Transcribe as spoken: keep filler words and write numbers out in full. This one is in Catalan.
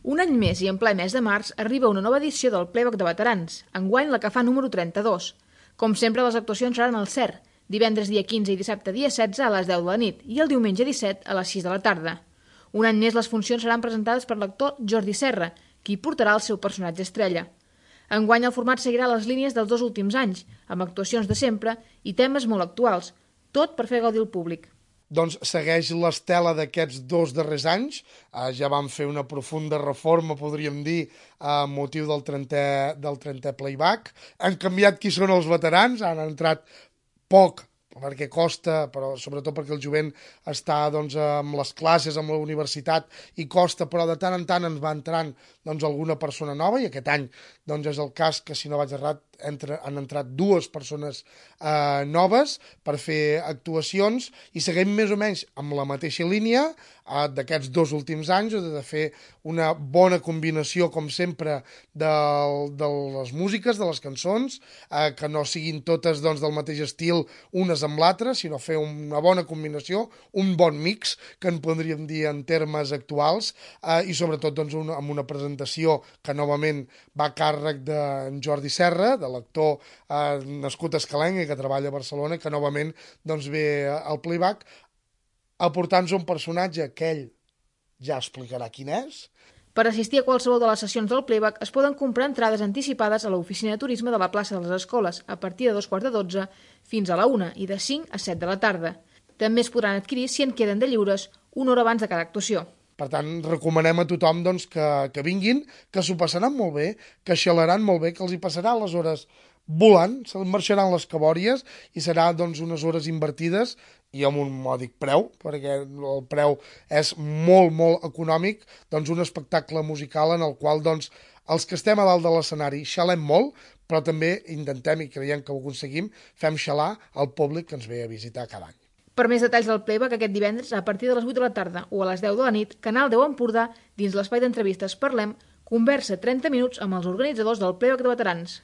Un any més i en ple mes de març arriba una nova edició del Playback de Veterans, enguany la que fa número trenta-dos. Com sempre, les actuacions seran al C E R, divendres dia quinze i dissabte dia setze a les deu de la nit i el diumenge disset a les sis de la tarda. Un any més les funcions seran presentades per l'actor Jordi Serra, qui portarà el seu personatge estrella. Enguany el format seguirà les línies dels dos últims anys, amb actuacions de sempre i temes molt actuals, tot per fer gaudir el públic. Doncs segueix l'estela d'aquests dos darrers anys. Eh, ja vam fer una profunda reforma, podríem dir, a motiu del trentè, del trentè playback. Han canviat qui són els veterans, han entrat poc, perquè costa, però sobretot perquè el jovent està doncs, amb les classes, amb la universitat, i costa, però de tant en tant ens va entrant doncs, alguna persona nova, i aquest any doncs, és el cas que, si no vaig errat, entre, han entrat dues persones eh, noves per fer actuacions, i seguim més o menys amb la mateixa línia eh, d'aquests dos últims anys, de fer una bona combinació, com sempre, de, de les músiques, de les cançons, eh, que no siguin totes doncs, del mateix estil unes amb l'altra, sinó fer una bona combinació, un bon mix, que en podríem dir en termes actuals, eh, i sobretot doncs, una, amb una presentació que novament va a càrrec d'en Jordi Serra, de l'actor eh, nascut a Escalenc i que treballa a Barcelona, que novament doncs, ve al playback aportant-nos un personatge que ell ja explicarà quin és. Per assistir a qualsevol de les sessions del playback es poden comprar entrades anticipades a l'oficina de turisme de la plaça de les Escoles a partir de dos quarts de dotze fins a la una i de cinc a set de la tarda. També es podran adquirir, si en queden de lliures, una hora abans de cada actuació. Per tant, recomanem a tothom doncs, que, que vinguin, que s'ho passaran molt bé, que xalaran molt bé, que els hi passarà les hores volant, se'ls marxaran les cabòries i serà doncs, unes hores invertides i amb un mòdic preu, perquè el preu és molt, molt econòmic, doncs un espectacle musical en el qual doncs, els que estem a dalt de l'escenari xalem molt, però també intentem, i creiem que ho aconseguim, fem xalar al públic que ens ve a visitar cada any. Per més detalls del playback aquest divendres, a partir de les vuit de la tarda o a les deu de la nit, Canal deu Empordà, dins l'espai d'entrevistes Parlem, conversa trenta minuts amb els organitzadors del Playback de Veterans.